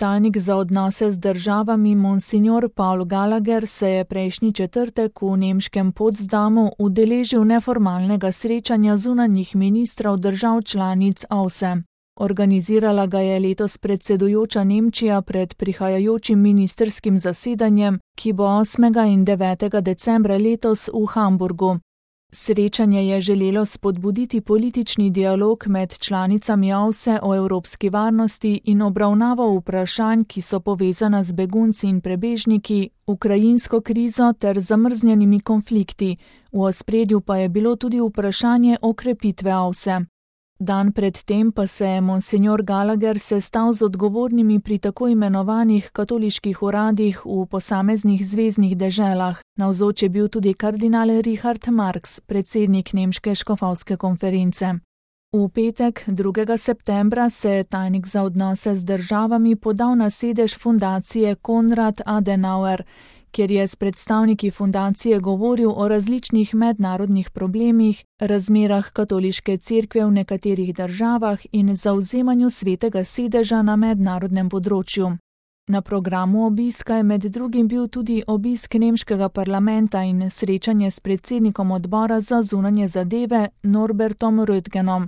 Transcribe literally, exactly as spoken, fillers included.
Tajnik za odnose z državami Monsignor Paul Gallagher se je prejšnji četrtek v nemškem Potsdamu udeležil neformalnega srečanja zunanjih ministrov držav članic O V S E. Organizirala ga je letos predsedujoča Nemčija pred prihajajočim ministrskim zasedanjem, ki bo osmega in devetega decembra letos v Hamburgu. Srečanje je želelo spodbuditi politični dialog med članicami O V S E o evropski varnosti in obravnavo vprašanj, ki so povezana z begunci in prebežniki, ukrajinsko krizo ter zamrznjenimi konflikti. V ospredju pa je bilo tudi vprašanje okrepitve O V S E. Dan pred tem pa se je Monsignor Gallagher sestal z odgovornimi pri tako imenovanih katoliških uradih v posameznih zveznih deželah. Navzoč je bil tudi kardinal Richard Marx, predsednik nemške škofovske konference. V petek, drugega septembra, se je tajnik za odnose z državami podal na sedež fundacije Konrad Adenauer, kjer je s predstavniki fundacije govoril o različnih mednarodnih problemih, razmerah katoliške cerkve v nekaterih državah in zavzemanju svetega sedeža na mednarodnem področju. Na programu obiska je med drugim bil tudi obisk nemškega parlamenta in srečanje s predsednikom odbora za zunanje zadeve Norbertom Röttgenom.